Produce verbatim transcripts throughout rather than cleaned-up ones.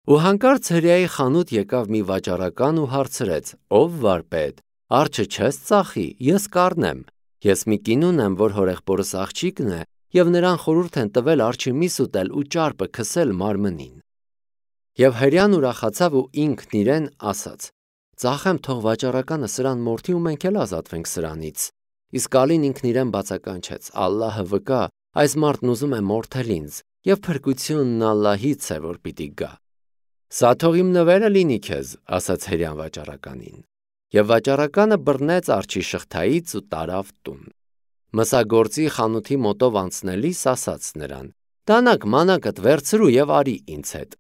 Ու հանկարծ հրեայի խանութ եկավ մի վաճառական ու հարցրեց. «Ով վարպետ, արջը չես ծախի, ես կառնեմ։ Ես մի կին ունեմ, որ հորեղբորս աղջիկն է, և նրան խորհուրդ են տվել արջի միս ուտել ու ճարպը քսել մարմնին»։ Եվ հրեան ուրախացավ ու ինքն իրեն ասաց. «Ծախեմ, թող վաճառականը սրան մորթի ու մենք էլ ազատվենք սրանից»։ Իսկ ալին ինքն իրեն բացականչեց. «Ալլահը վկա, այս մարդն ուզում է մորթել ինձ, և փրկությունն Ալլահից է, որ պիտի գա»։ «Սա թող իմ նվերը լինի քեզ», ասաց հրեան վաճառականին։ Եվ վաճառականը բռնեց արջի շղթայից ու տարավ տուն։ Մսագործի խանութի մոտով անցնելիս ասաց նրան. «Դանակ մանակդ վերցրու և արի ինձ հետ»։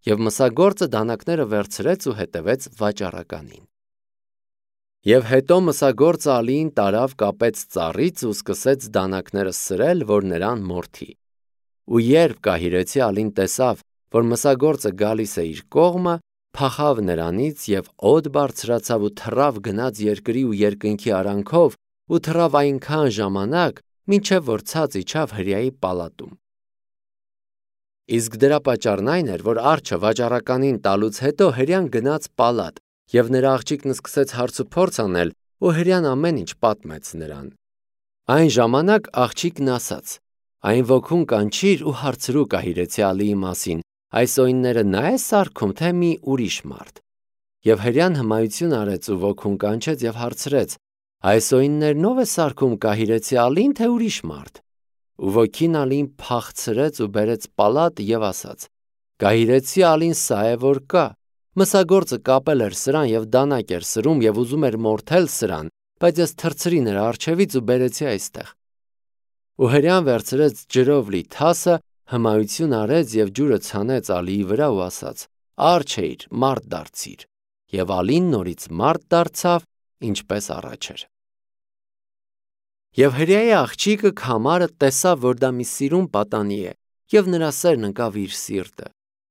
Եվ մսագործը դանակները վերցրեց ու հետևեց վաճառականին։ Եվ հետո մսագործը ալիին տարավ, կապեց ծառից ու սկսեց դանակները սրել, որ նրան մորթի։ Ու երբ կահիրեցի ալին տեսավ, որ մսագործը գալիս է իր կողմը, փախավ նրանից և օդ բարձրացավ ու թռավ գնաց երկրի ու երկնքի արանքով ու թռավ այնքան ժամանակ, մինչև որ ցած իջավ հրեայի պալատում։ Իսկ դրա պատճառն այն էր, որ արջը վաճառականին տալուց հետո հրեան գնաց պալատ, և նրա աղջիկն սկսեց հարց ու փորձ անել, ու հրեան ամեն ինչ պատմեց նրան։ Այն ժամանակ աղջիկն ասաց. «Այն ոգուն կանչիր ու հարցրու կահիրեցի ալիի մասին, այս օյնները նա է սարքում, թե մի ուրիշ մարդ»։ Եվ հրեան հմայություն արեց ու ոգուն կանչեց և հարցրեց. «Այս օյններն ո՞վ է սարքում, կահիրեցի ալին, թե ուրիշ մարդ»։ Ու ոգին ալիին փախցրեց ու բերեց պալատ և ասաց. «Կահիրեցի ալին սա է, որ կա։ Մսագործը կապել էր սրան և դանակ էր սրում և ուզում էր մորթել սրան, բայց ես թռցրի նրա առջևից ու բերեցի այստեղ»։ Ու հրեան վերցրեց ջրով լի թասը, հմայություն արեց և ջուրը ցանեց ալիի վրա ու ասաց. «Արջ էիր, մարդ դարձիր»։ Եվ ալին նորից մարդ դարձավ, ինչպես առաջ էր։ Եվ հրեայի աղջիկը քամարը տեսավ, որ դա մի սիրուն պատանի է, և նրա սերն ընկավ իր սիրտը։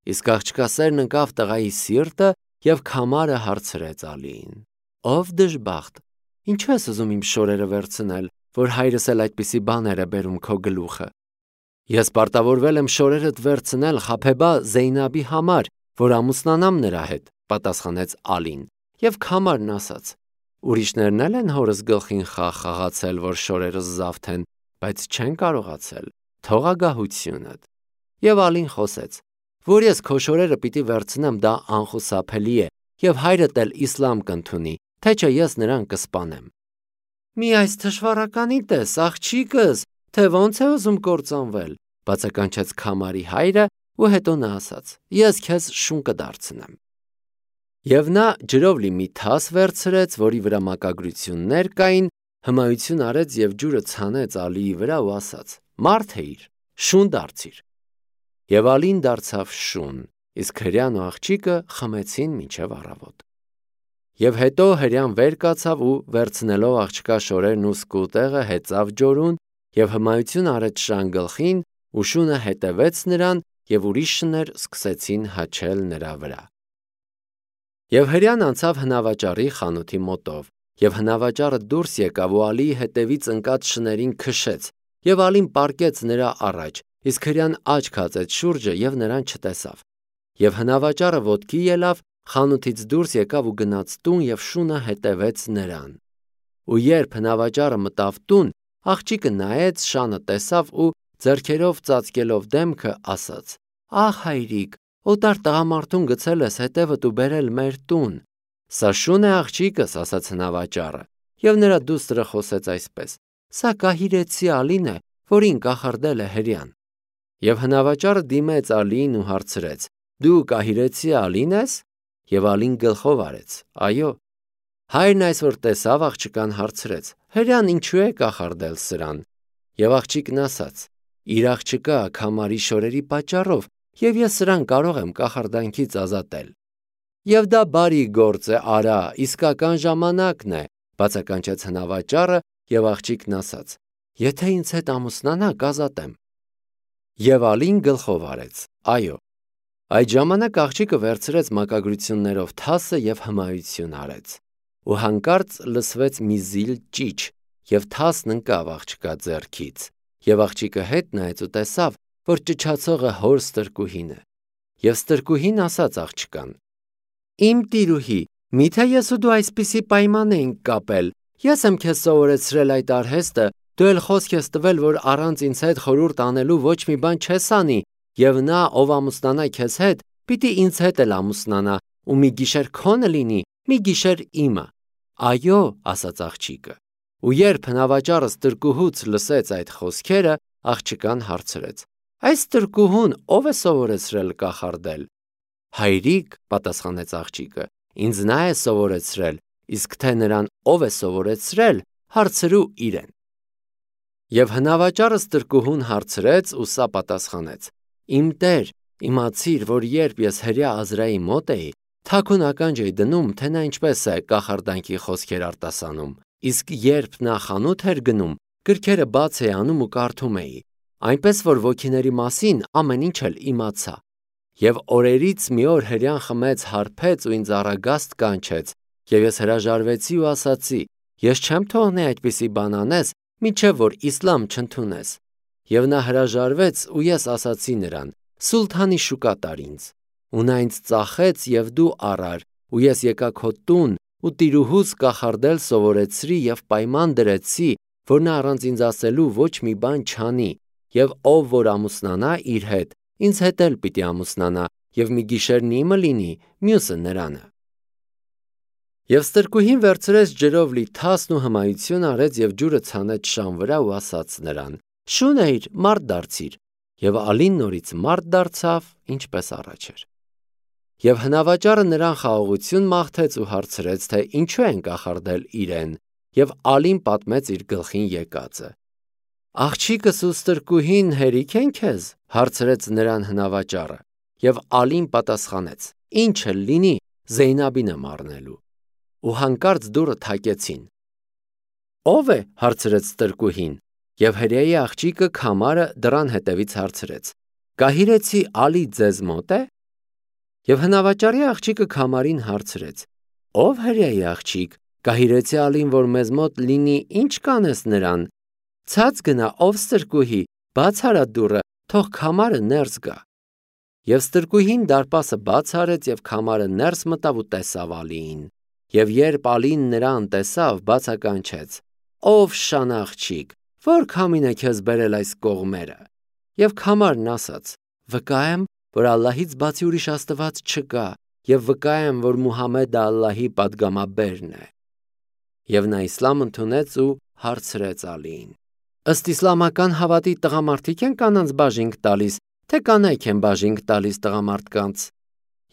Իսկ աղջկա սերն ընկավ տղայի սիրտը, և քամարը հարցրեց ալիին. «Ով դժբախտ, ինչու ես ուզում իմ շորերը վերցնել, որ հայրս էլ այդպիսի բաներ է բերում քո գլուխը»։ «Ես պարտավորվել եմ շորերդ վերցնել Խաբեբա Զեյնաբի համար, որ ամուսնանամ նրա հետ», պատասխանեց ալին։ Եվ քամարն ասաց. «Ուրիշներն էլ են հորս գլխին խաղ խաղացել, որ շորերս զավթեն, բայց չեն կարողացել, թող ագահությունդ»։ Եվ ալին խոսեց. «Որ ես քո շորերը պիտի վերցնեմ, դա անխուսափելի է, և հայրդ էլ իսլամ կընդունի, թե չէ ես նրան կսպանեմ»։ «Մի այս թշվառականի տես, աղջիկս, թե ոնց է ուզում կործանվել», բացականչեց քամարի հայրը, ու հետո նա ասաց. «Ես քեզ շուն կդարձնեմ»։ Եվ նա ջրով լի մի թաս վերցրեց, որի վրա մակագրություններ կային, հմայություն արեց և ջուրը ցանեց ալիի վրա ու ասաց. «Մարդ էիր, շուն դարձիր»։ Եվ ալին դարձավ շուն, իսկ հրեան ու աղջիկը խմեցին մինչև առավոտ։ Եվ հետո հրեան վեր կացավ ու վերցնելով աղջկա շորերն ու սկուտեղը հեծավ ջորուն և հմայություն արեց շան գլխին, ու շունը հետևեց նրան, և ուրիշ շներ սկսեցին հաչել նրա վրա։ Եվ հրեան անցավ հնավաճառի խանութի մոտով, և հնավաճառը դուրս եկավ ու ալիի հետևից ընկած շներին քշեց, և ալին պառկեց նրա առաջ, իսկ հրեան աչք հածեց շուրջը և նրան չտեսավ։ Եվ հնավաճառը ոտքի ելավ, խանութից դուրս եկավ ու գնաց տուն, և շունը հետևեց նրան։ Ու երբ հնավաճառը մտավ տուն, աղջիկը նայեց, շանը տեսավ ու ձեռքերով ծածկելով դեմքը ասաց. «Ահ հայրիկ, օտար տղամարդուն գցել ես հետևդ ու բերել մեր տուն»։ «Սա շուն է, աղջիկս», ասաց հնավաճառը։ Եվ նրա դուստրը խոսեց այսպես. «Սա կահիրեցի ալին է, որին կախարդել է հրեան»։ Եվ հնավաճառը դիմեց ալիին ու հարցրեց. «Դու կահիրեցի ալի՞ն ես»։ Եվ ալին գլխով արեց. «Այո»։ Հայրն այս որ տեսավ աղջկան, հարցրեց. «Հրեան ինչու է կախարդել սրան»։ Եվ աղջիկն ասաց. «Իր աղջկա քամարի շորերի պատճառով, և ես սրան կարող եմ կախարդանքից ազատել»։ «Եվ դա բարի գործ է, արա, իսկական ժամանակն է», բացականչեց հնավաճառը, և աղջիկն ասաց. «Եթե ինձ հետ ամուսնանա, կազատեմ»։ Եվ ալին գլխով արեց. «Այո»։ Այդ ժամանակ աղջիկը վերցրեց մակագրություններով թասը և հմայություն արեց։ Ու հանկարծ լսվեց մի զիլ ճիչ, և թասն ընկավ աղջկա ձեռքից։ Եվ աղջիկը հետ նայեց ու տեսավ, որ ճչացողը հոր ստրկուհին է։ Եվ ստրկուհին ասաց աղջկան. Իմ տիրուհի, միթե ես ու դու այսպիսի պայման էինք կապել, ես եմ քեզ սովորեցրել այդ արհեստը, դու էլ խոսք ես տվել, որ առանց ինձ հետ խորհուրդ անելու ոչ մի բան չես անի, եւ նա, ով ամուսնանա քեզ հետ, պիտի ինձ հետ էլ ամուսնանա, ու մի գիշեր քոնը լինի, մի գիշեր իմը։ Այո, ասաց աղջիկը։ Ու երբ հնավաճառը ստրկուհուց լսեց այդ խոսքերը, աղջկան հարցրեց. Այս ստրկուհուն ով է սովորեցրել կախարդել։ Հայրիկ, պատասխանեց աղջիկը, ինձ նա է սովորեցրել, իսկ թե նրան ով է սովորեցրել, հարցրու իրեն։ Եվ հնավաճառը ստրկուհուն հարցրեց ու սա պատասխանեց. Իմ տեր, իմացիր, որ երբ ես հրյա Ազրայի մոտ էի, թաքուն ականջ էի դնում, թե նա ինչպես է կախարդանքի խոսքեր արտասանում, իսկ երբ նա խանութ էր գնում, գրքերը բաց էի անում ու կարդում էի, այնպես որ ոգիների մասին ամեն ինչ էլ իմացա։ Եվ օրերից մի օր հրյան խմեց, հարբեց ու ինձ առագաստ կանչեց, եւ ես հրաժարվեցի ու ասացի. ես չեմ թողնի այդպիսի բան անես, մինչև որ իսլամ չընդունես։ Եվ նա հրաժարվեց ու ես ասացի նրան. Սուլթանի շուկա տար ինձ։ Ու նա ինձ ծախեց եւ դու առար, ու ես եկա քո տուն ու տիրուհուս կախարդել սովորեցրի եւ պայման դրեցի, որ նա առանց ինձ ասելու ոչ մի բան չանի, եւ ով որ ամուսնանա իր հետ, ինձ հետ էլ պիտի ամուսնանա, եւ մի գիշերն իմը լինի, մյուսը նրանը։ Եվ ստրկուհին վերցրեց ջրով լի թասն ու հմայություն արեց եւ ջուրը ցանեց շան վրա ու ասաց նրան. Շունեիր, մարդ դարձիր, եւ ալին նորից մարդ դարձավ, ինչպես առաջ էր։ Եվ հնավաճառը նրան խաղաղություն մաղթեց ու հարցրեց, թե ինչու են կախարդել իրեն, եւ ալին պատմեց իր գլխին եկածը։ Աղջիկս ու ստրկուհին հերիք են քեզ, հարցրեց նրան հնավաճառը, եւ ալին պատասխանեց. Ինչը լինի, Զեյնաբին եմ առնելու։ Ու հանկարծ դուռը թակեցին։ Ո՞վ է, հարցրեց ստրկուհին, եւ հրեայի աղջիկը քամարը դռան հետևից հարցրեց. Կահիրեցի ալի ձեզ մոտ է։ Եվ հնավաճառի աղջիկը քամարին հարցրեց. Ով հրեայի աղջիկ, կահիրեցի ալին, որ մեզ մոտ լինի, ինչ կանես նրան։ Ցած գնա, ով ստրկուհի, բաց արա դուռը, թող քամարը ներս գա։ Եվ ստրկուհին դարպասը բաց արեց եւ քամարը ներս մտավ ու տեսավ ալիին։ Եվ երբ ալին նրան տեսավ, բացականչեց. Ով շան աղջիկ, որ քամին է քեզ բերել այս կողմերը։ Եվ քամարն ասաց. Վկա եմ, որ Ալլահից բացի ուրիշ աստված չկա, եւ վկա եմ, որ Մուհամեդը Ալլահի պատգամաբերն է։ Եվ նա իսլամ ընդունեց ու հարցրեց ալիին. Ըստ իսլամական հավատի տղամարդիկ են կանանց բաժինք տալիս, թե կանայք են բաժինք տալիս տղամարդկանց։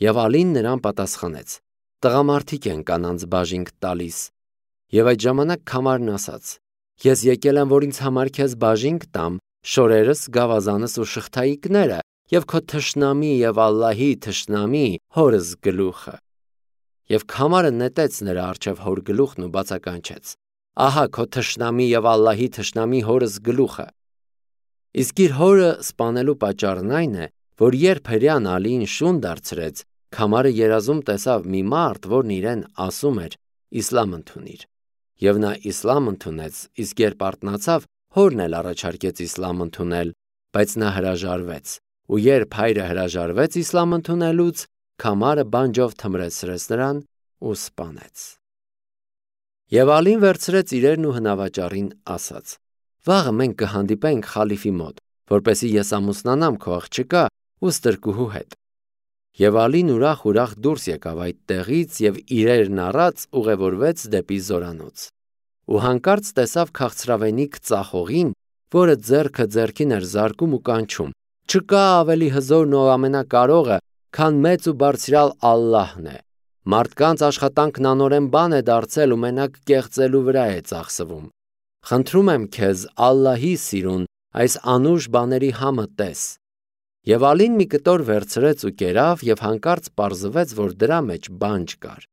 Եվ ալին նրան պատասխանեց. Տղամարդիկ են կանանց բաժինք տալիս։ Եվ այդ ժամանակ քամարն ասաց. Ես եկել եմ, որ ինձ համար քեզ բաժինք տամ, շորերս, գավազանս ու շղթայիկները, եւ քո թշնամի եւ Ալլահի թշնամի հորս գլուխը։ Եվ քամարը նետեց նրա առջև հոր գլուխն ու բացականչեց. Ահա քո թշնամի եւ Ալլահի թշնամի հորս գլուխը։ Իսկ իր հորը սպանելու պատճառն այն է, որ երբ հրյան ալիին շուն դարձրեց, քամարը երազում տեսավ մի մարդ, որն իրեն ասում էր. Իսլամ ընդունիր։ Եվ նա իսլամ ընդունեց, իսկ երբ արթնացավ, հորն էլ առաջարկեց իսլամ ընդունել, բայց նա հրաժարվեց։ Ու երբ հայրը հրաժարվեց իսլամ ընդունելուց, քամարը բանջով թմրեցրեց նրան ու սպանեց։ Եվ ալին վերցրեց իրերն ու հնավաճառին ասաց. Վաղը մենք կհանդիպենք խալիֆի մոտ, որպեսզի ես ամուսնանամ քո աղջկա ու ստրկուհու հետ։ Եվ ալին ուրախ-ուրախ դուրս եկավ այդ տեղից եւ իրերն առած ուղևորվեց դեպի զորանոց։ Ու հանկարծ տեսավ քաղցրավենիք ծախողին, որը ձեռքը ձեռքին էր զարկում ու կանչում. Չկա ավելի հզորն ու ամենակարողը, քան մեծ ու բարձրալ Ալլահն է։ Մարդկանց աշխատանքն անօրեն բան է դարձել ու մենակ կեղծելու վրա է ծախսվում։ Խնդրում եմ քեզ Ալլահի սիրուն այս անուշ բաների համը տես։ Եվ ալին մի կտոր վերցրեց ու կերավ եւ հանկարծ պարզվեց, որ դրա մեջ բանջ կար։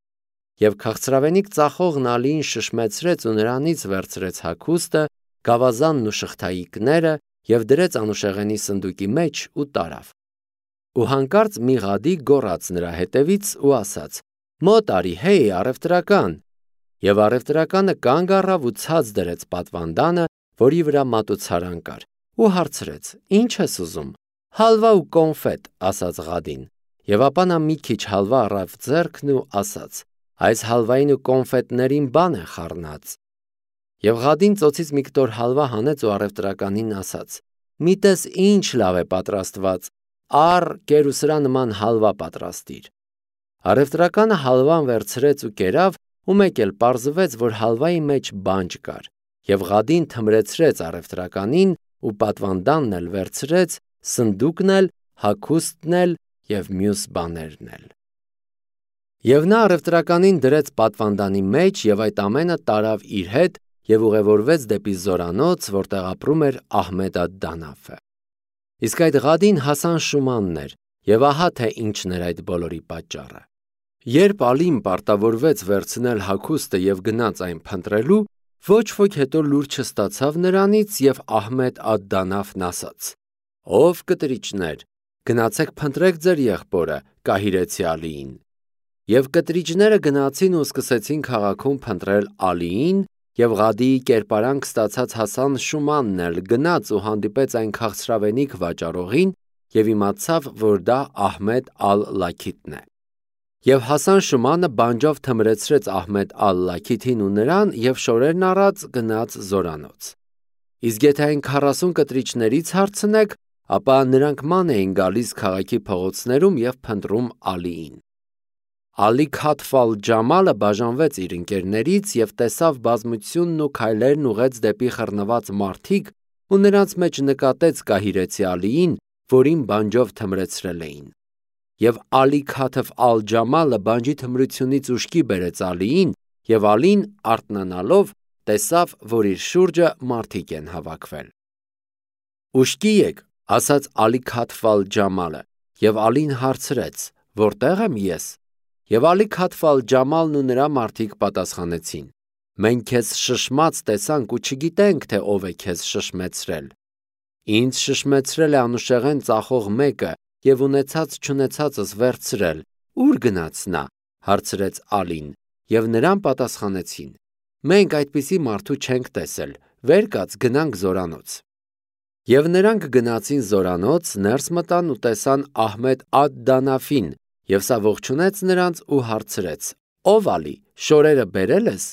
Եվ քաղցրավենիք ծախողն ալիին շշմեցրեց ու նրանից վերցրեց հագուստը, գավազանն ու շղթայիկները եւ դրեց անուշեղենի սնդուկի մեջ ու տարավ։ Ու հանկարծ մի ղադի գոռաց նրա հետևից ու ասաց. Մոտ արի, հեյ, առևտրական։ Եվ առևտրականը կանգ առավ ու ցած դրեց պատվանդանը, որի վրա մատուցարան կար, ու հարցրեց. Ինչ ես ուզում։ Հալվա ու կոնֆետ, ասաց ղադին։ Եվ ապա նա մի քիչ հալվա առավ ձեռքն ու ասաց. այս հալվային ու կոնֆետներին բան է խառնած։ Եվ Ղադին ծոցից մի կտոր հալվա հանեց ու առևտրականին ասաց. մի տես ինչ լավ է պատրաստված, առ կեր ու սրա նման հալվա պատրաստիր։ Առևտրականը հալվան վերցրեց ու կերավ, ու մեկ էլ պարզվեց, որ հալվայի մեջ բանջ կար, և Ղադին թմրեցրեց առևտրականին ու պատվանդանն էլ վերցրեց, սնդուկն էլ, հագուստն էլ և մյուս բաներն էլ։ Եվ նա առևտրականին դրեց պատվանդանի մեջ և այդ ամենը տարավ իր հետ և ուղևորվեց դեպի զորանոց, որտեղ ապրում էր Ահմեդ ալ-Դանաֆը։ Իսկ այդ Ղադին Հասան Շումանն էր, և ահա թե ինչն էր այդ բոլորի պատճառը։ Երբ Ալին պարտավորվեց վերցնել հագուստը և գնաց այն փնտրելու, ոչ ոք հետո լուր չստացավ նրանից, և Ահմեդ ալ-Դանաֆն ասաց. «Ով կտրիճներ, գնացեք փնտրեք ձեր եղբորը», կահիրեցի Ալիին։ Եվ կտրիճները գնացին ու սկսեցին քաղաքում փնտրել Ալիին, և Ղադիի կերպարանք ստացած Հասան Շումանն էլ գնաց ու հանդիպեց այն քաղցրավենիք վաճառողին և իմացավ, որ դա Ահմեդ ալ-Լաքիթն է։ Եվ Հասան Շումանը բանջով թմրեցրեց Ահմեդ ալ-Լաքիթին ու նրան և շորերն առած գնաց զորանոց։ Իսկ եթե այն քառասուն կտրիճներից հարցնեք, ապա նրանք ման էին գալիս քաղաքի փողոցներում և փնտրում Ալիին։ Ալի Քաթֆ ալ-Ջամալը բաժանվեց իր ընկերներից և տեսավ բազմությունն ու քայլերն ուղղեց դեպի խռնված մարդիկ ու նրանց մեջ նկատեց կահիրեցի Ալիին, որին բանջով թմրեցրել էին։ Եվ Ալի Քաթֆ ալ-Ջամալը բանջի թմրությունից ուշքի բերեց Ալիին, և Ալին արթնանալով տեսավ, որ իր շուրջը մարդիկ են հավաքվել։ «Ուշքի եք», ասաց Ալի Քաթֆ ալ-Ջամալը, և Ալին հարցրեց. «Որտե՞ղ եմ ես»։ Եվ Ալի Քաթֆ ալ-Ջամալն ու նրա մարդիկ պատասխանեցին. «Մենք քեզ շշմած տեսանք ու չգիտենք, թե ով է քեզ շշմեցրել»։ «Ինձ շշմեցրել է անուշեղեն ծախող մեկը և ունեցած-չունեցածս վերցրել, ո՞ւր գնաց նա», հարցրեց Ալին, և նրան պատասխանեցին. «Մենք այդպիսի մարդու չենք տեսել, վեր կաց գնանք զորանոց»։ Եվ նրանք գնացին զորանոց, ներս մտան ու տեսան Ահմեդ ալ-Դանաֆին, և սա ողջունեց նրանց ու հարցրեց. «Ո՞վ Ալի, շորերը բերել ես»։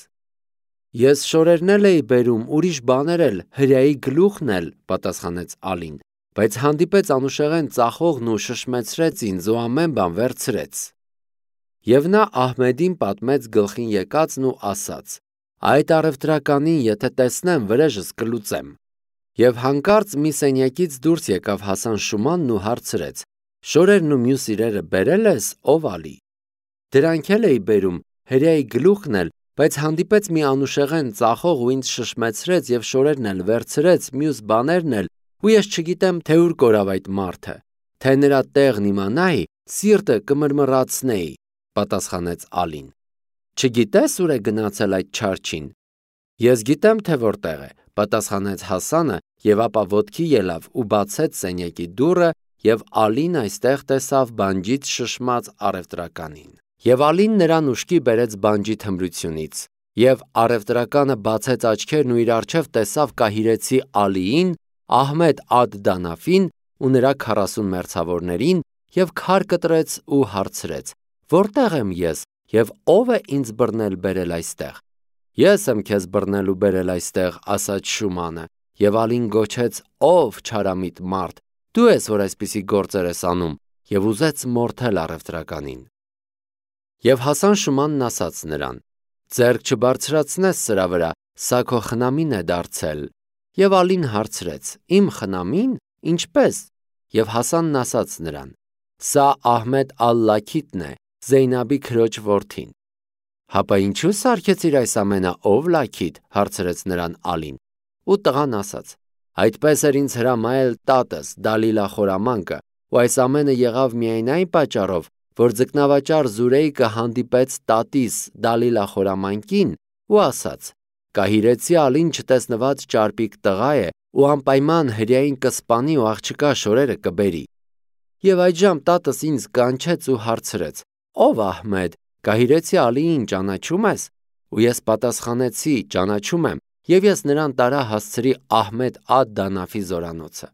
«Ես շորերն էլ էի բերում, ուրիշ բաներ էլ, հրեայի գլուխն էլ», պատասխանեց Ալին, բայց հանդիպեց անուշեղեն ծախողն ու շշմեցրեց ինձ ու ամեն բան վերցրեց։ Եվ նա Ահմեդին պատմեց գլխին եկածն ու ասաց. «Այդ առևտրականին եթե տեսնեմ, վրեժս կլուծեմ»։ Եվ հանկարծ մի սենյակից դուրս եկավ Հասան Շումանն ու հարցրեց. «Շորերն ու մյուս իրերը բերել ես, ով Ալի»։ «Դրանք էլ էի բերում, հրեայի գլուխն էլ, բայց հանդիպեց մի անուշեղեն ծախող ու ինձ շշմեցրեց և շորերն էլ վերցրեց, մյուս բաներն էլ, ու ես չգիտեմ, թե ուր կորավ այդ մարդը, թե նրա տեղն իմանայի, սիրտը կմռմռացնեի», պատասխանեց Ալին։ «Չգիտես ուր է գնացել այդ չարչին»։ «Ես գիտեմ, թե որտեղ է», պատասխանեց Հասանը, և ապա ոտքի ելավ ու բացեց սենյակի դուռը, և Ալին այստեղ տեսավ բանջից շշմած առևտրականին։ Եվ Ալին նրան ուշքի բերեց բանջի թմրությունից։ Եվ առևտրականը բացեց աչքերն ու իր առջև տեսավ կահիրեցի Ալիին, Ահմեդ ալ-Դանաֆին ու նրա քառասուն մերձավորներին և քար կտրեց ու հարցրեց. «Որտե՞ղ եմ ես և ո՞վ է ինձ բռնել բերել այստեղ»։ «Ես եմ քեզ բռնել ու բերել այստեղ», ասաց Շումանը, և Ալին գոչեց. «Ո՛վ չարամիտ մարդ, դու ես, որ այսպիսի գործեր ես անում», և ուզեց մորթել առևտրականին։ Եվ Հասան Շումանն ասաց նրան. «Ձեռք չբարձրացնես սրա վրա, սա քո խնամին է դարձել»։ Եվ Ալին հարցրեց. «Իմ խնամի՞ն, ինչպե՞ս»։ Եվ Հասանն ասաց նրան. «Սա Ահմեդ ալ-Լաքիթն է, Զեյնաբի քրոջ որդին»։ «Հապա ինչու սարքեցիր այս ամենը, ով Լաքիթ», հարցրեց նրան Ալին։ Ու տղան ասաց. «Այդպես էր ինձ հրամայել տատս Դալիլա խորամանկը, ու այս ամենը եղավ միայն այն պատճառով, որ ձկնավաճառ Զուրեյկը հանդիպեց տատիս Դալիլա խորամանկին ու ասաց. «Կահիրեցի Ալին չտեսնված ճարպիկ տղա է ու անպայման հրեային կսպանի ու աղջկա շորերը կբերի»։ Եվ այդժամ տատս ինձ կանչեց ու հարցրեց. «Ո՞վ Ահմեդ, կահիրեցի Ալիին ճանաչո՞ւմ ես»։ Ու ես պատասխանեցի. «Ճանաչում եմ», և ես նրան տարա հասցրի Ահմեդ ալ-Դանաֆի զորանոցը։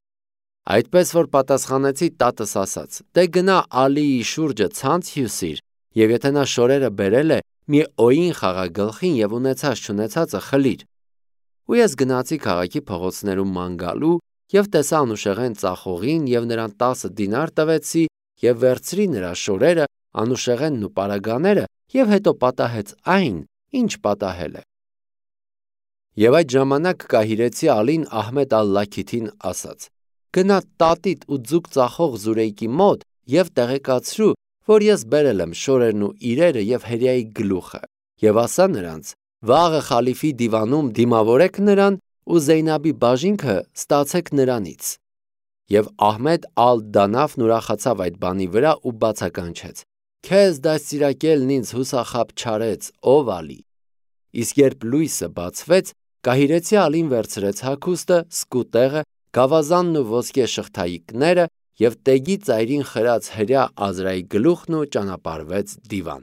Այդպես որ պատասխանեցի տատս ասաց. «Դե գնա Ալիի շուրջը ցանց հյուսիր, եւ եթե նա շորերը բերել է, մի օին խաղա գլխին եւ ունեցած չունեցածը խլիր»։ Ու ես գնացի քաղաքի փողոցներում ման գալու եւ տեսա Անուշեղեն ծախողին եւ նրան տասը դինար տվեցի եւ վերցրի նրա շորերը, Անուշեղենն ու պարագաները եւ հետո պատահեց այն, ինչ պատահել է։ Եվ այդ ժամանակ կահիրեցի Ալին Ահմեդ ալ-Լաքիթին ասաց. «Գնա տատիդ ու ձուկ ծախող Զուրեյկի մոտ եւ տեղեկացրու, որ ես բերել եմ շորերն ու իրերը եւ հերյայի գլուխը, եւ ասա նրանց. վաղը խալիֆի դիվանում դիմավորեք նրան ու Զեյնաբի բաժինքը ստացեք նրանից»։ Եվ Ահմեդ ալ-Դանաֆն ուրախացավ այդ բանի վրա ու բացականչեց. «Քեզ դաստիարակելն ինձ հուսախաբ չարեց, ով Ալի»։ Իսկ երբ լույսը բացվեց, կահիրեցի Ալին վերցրեց հագուստը, սկուտեղը, գավազանն ու ոսկե շղթայիկները եւ տեգի ծայրին խրած հրյա Ազրայի գլուխն ու ճանապարհվեց դիվան։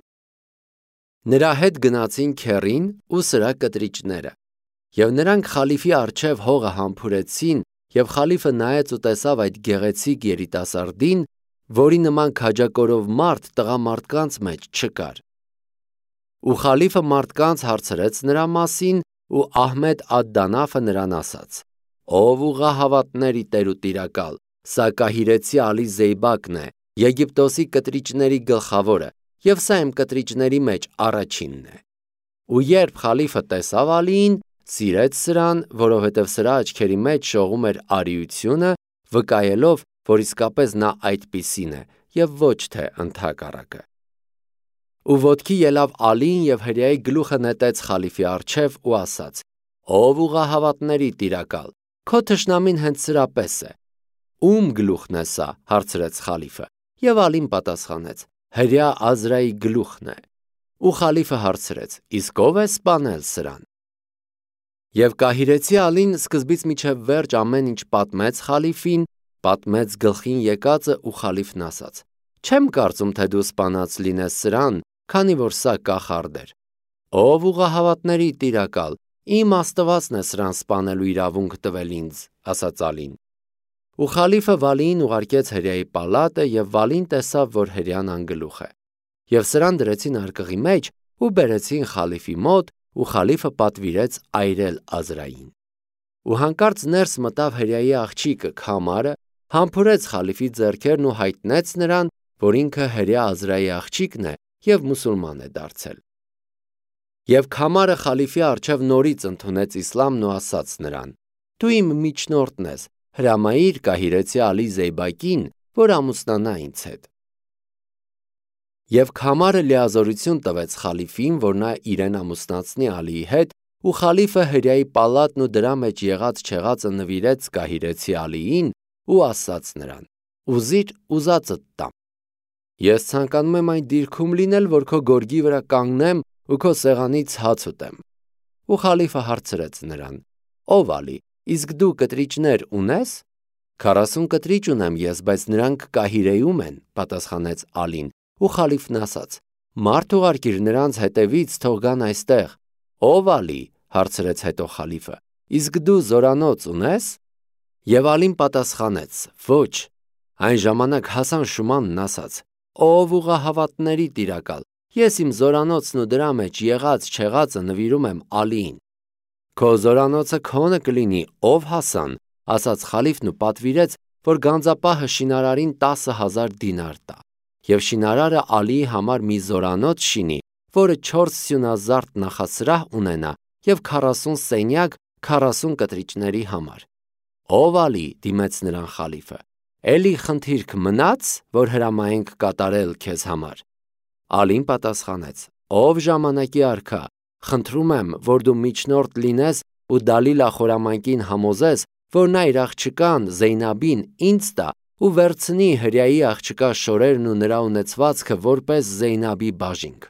Նրա հետ գնացին քեռին ու սրա կտրիճները, եւ նրանք խալիֆի առջև հողը համբուրեցին, եւ խալիֆը նայեց ու տեսավ այդ գեղեցիկ երիտասարդին, որի նման քաջակորով մարդ տղամարդկանց մեջ չկար։ Ու խալիֆը մարդկանց հարցրեց նրա մասին, ու Ահմեդ ալ-Դանաֆը նրան ասաց. «Ով ուղղահավատների տեր ու տիրակալ, սա կահիրեցի Ալի Զեյբակն է, Եգիպտոսի կտրիճների գլխավորը, եւ սա իմ կտրիճների մեջ առաջինն է»։ Ու երբ խալիֆը տեսավ Ալիին, սիրեց սրան, որովհետև սրա աչքերի մեջ շողում էր արիությունը, վկայելով, որ իսկապես նա այդպիսին է եւ ոչ թե ընդհակառակը։ Ու ոտքի ելավ Ալին եւ հրյայի գլուխը նետեց խալիֆի առջև ու ասաց. «Ով ուղղահավատների տիրակալ, քո թշնամին հենց սրա պես է»։ «Ում գլուխն է սա»։ հարցրեց խալիֆը, եւ Ալին պատասխանեց. «Հրյա Ազրայի գլուխն է»։ Ու խալիֆը հարցրեց. «Իսկ ով է սպանել սրան»։ Եվ կահիրեցի Ալին սկզբից մինչև վերջ ամեն ինչ պատմեց խալիֆին, պատմեց գլխին եկածը ու խալիֆն ասաց. «Չեմ կարծում, թե դու սպանած լինես սրան, քանի որ սա կախարդ էր»։ «Ով ուղղահավատների տիրակալ, իմ Աստվածն է սրան սպանելու իրավունք տվել ինձ», ասաց Ալին։ Ու խալիֆը Վալիին ուղարկեց հրյայի պալատը, եւ Վալին տեսավ, որ հրյան անգլուխ է։ Եվ սրան դրեցին արկղի մեջ ու բերեցին խալիֆի մոտ, ու խալիֆը պատվիրեց այրել Ազրային։ Ու հանկարծ ներս մտավ հրյայի աղջիկը Քամարը, համբուրեց խալիֆի ձեռքերն ու հայտնեց նրան, որ ինքը հրյա Ազրայի աղջիկն է եւ մուսուլման է դարձել։ Եվ Քամարը խալիֆի առջև նորից ընդունեց իսլամն ու ասաց նրան. «Դու իմ միջնորդն ես, հրամայիր կահիրեցի Ալի Զեյբակին, որ ամուսնանա ինձ հետ»։ Եվ Քամարը լիազորություն տվեց խալիֆին, որ նա իրեն ամուսնացնի Ալիի հետ, ու խալիֆը հրյայի պալատն ու դրա մեջ եղած չեղածը նվիրեց կահիրեցի Ալիին ու ասաց նրան. «Ուզիր ուզածդ տամ»։ Ես ցանկանում եմ այն դիրքում լինել, որ քո գորգի վրա կանգնեմ ու քո սեղանից հաց ուտեմ։ Ու խալիֆը հարցրեց նրան. «Ով Ալի, իսկ դու կտրիճներ ունես»։ «Քառասուն կտրիճ ունեմ ես, բայց նրանք կահիրեում են», պատասխանեց Ալին, ու խալիֆն ասաց. «Մարդ ուղարկիր նրանց հետևից, թող գան այստեղ»։ «Ով Ալի», հարցրեց հետո խալիֆը, «իսկ դու զորանոց ունես»։ Եվ Ալին պատասխանեց. «Ոչ»։ Այն ժամանակ Հասան Շումանն ասաց. «Ով ուղղահավատների տիրակալ, ես իմ զորանոցն ու դրա մեջ եղած չեղածը նվիրում եմ Ալիին»։ «Քո զորանոցը քոնը կլինի, ով Հասան», ասաց խալիֆն ու պատվիրեց, որ գանձապահը շինարարին տասը հազար դինար տա, եւ շինարարը Ալիի համար մի զորանոց շինի, որը չորս սյունազարդ նախասրահ ունենա եւ քառասուն սենյակ քառասուն կտրիճների համար։ «Ով Ալի», դիմեց նրան խալիֆը, «Էլի խնդիրք մնաց, որ հրամայենք կատարել քեզ համար»։ Ալին պատասխանեց. «Ով ժամանակի արքա, խնդրում եմ, որ դու միջնորդ լինես ու Դալիլա խորամանկին համոզես, որ նա իր աղջկան Զեյնաբին ինձ տա ու վերցնի հրյայի աղջկա շորերն ու նրա ունեցվածքը որպես Զեյնաբի բաժինք»։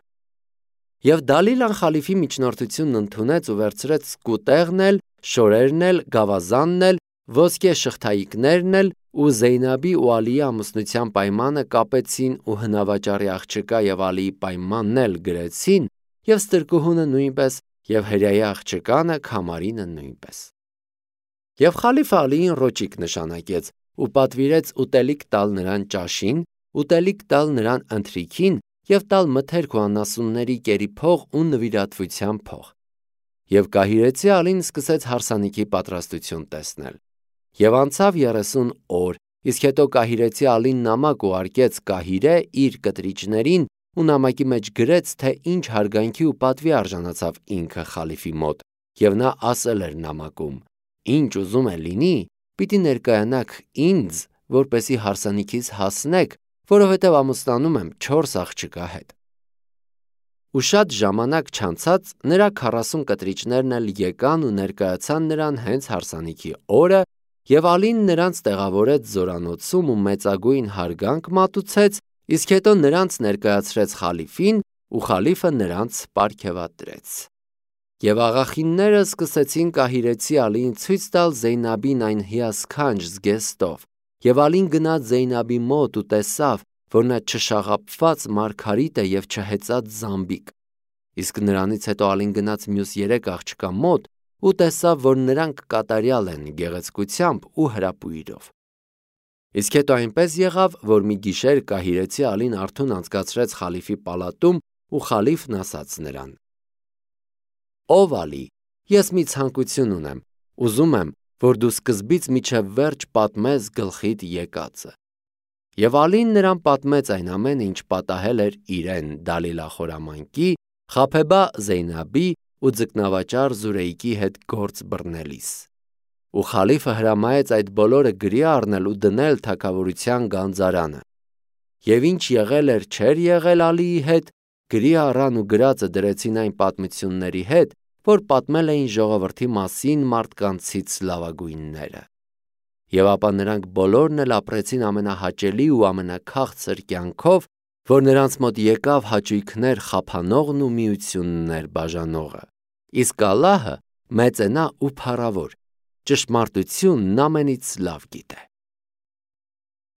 Եվ Դալիլան խալիֆի միջնորդությունն ընդունեց ու վերցրեց սկուտեղն էլ, շորերն էլ, գավազանն էլ, ոսկե շղթայիկներն էլ ու Զեյնաբի ու Ալիի ամուսնության պայմանը կապեցին ու հնավաճառի աղջկա եւ Ալիի պայմանն էլ գրեցին, եւ ստրկուհունը նույնպես, եւ հրյայի աղջկանը Քամարինը նույնպես։ Եվ խալիֆը Ալիին ռոճիկ նշանակեց ու պատվիրեց ուտելիք տալ նրան ճաշին, ուտելիք տալ նրան ընթրիքին և տալ մթերք ու անասունների կերի փող ու նվիրատվության փող։ Եվ կահիրեցի ալին սկսեց հարսանիքի պատրաստություն տեսնել։ Եվ անցավ երեսուն օր, իսկ հետո կահիրեցի ալին նամակ ուղարկեց կահիրե իր կտրիճներին ու նամակի մեջ գրեց, թե ինչ հարգանքի ու պատվի արժանացավ ինքը խալիֆի մոտ, և նա ասել էր նամակում. «Ինչ ուզում է լինի, պիտի ներկայանաք ինձ, որպեսզի հարսանիքիս հասնեք, որովհետև ամուսնանում եմ չորս աղջկա հետ»։ Ու շատ ժամանակ չանցած նրա քառասուն կտրիճներն էլ եկան ու ներկայացան նրան հենց հարսանիքի օրը, և Ալին նրանց տեղավորեց զորանոցում ու մեծագույն հարգանք մատուցեց, իսկ հետո նրանց ներկայացրեց խալիֆին, ու խալիֆը նրանց պարգևատրեց։ Եվ աղախինները սկսեցին կահիրեցի Ալիին ցույց տալ Զեյնաբին այն հիասքանչ զգեստով, և Ալին գնաց Զեյնաբի մոտ ու տեսավ, որ նա չշաղափված մարգարիտ է և չհեծած զամբիկ։ Իսկ նրանից հետո Ալին գնաց մյուս երեք աղջկա մոտ ու տեսավ, որ նրանք կատարյալ են գեղեցկությամբ ու հրապույրով։ Իսկ հետո այնպես եղավ, որ մի գիշեր կահիրեցի Ալին արթուն անցկացրեց խալիֆի պալատում, ու խալիֆն ասաց նրան. «Ով Ալի, ես մի ցանկություն ունեմ, ուզում եմ, որ դու սկզբից մինչև վերջ պատմես գլխիդ եկածը»։ Եվ Ալին նրան պատմեց այն ամենը, ինչ պատահել էր իրեն Դալիլա խորամանկի, Խաբեբա Զեյնաբի ու ձկնավաճառ Զուրեյկի հետ գործ բռնելիս։ Ու խալիֆը հրամայեց այդ բոլորը գրի առնել ու դնել թագավորության գանձարանը։ Եվ ինչ եղել էր չէր եղել Ալիի հետ, գրի առան ու գրածը դրեցին այն պատմությունների հետ, որ պատմել էին ժողովրդի մասին մարդկանցից լավագույնները։ Եվ ապա նրանք բոլորն էլ ապրեցին ամենահաճելի ու ամենաքաղցր կյանքով, որ նրանց մոտ եկավ հաճույքներ խափանողն ու միություններ բաժանողը։ Իսկ Ալլահը մեծ է նա ու փառավոր, ճշմարտությունն ամենից լավ գիտե։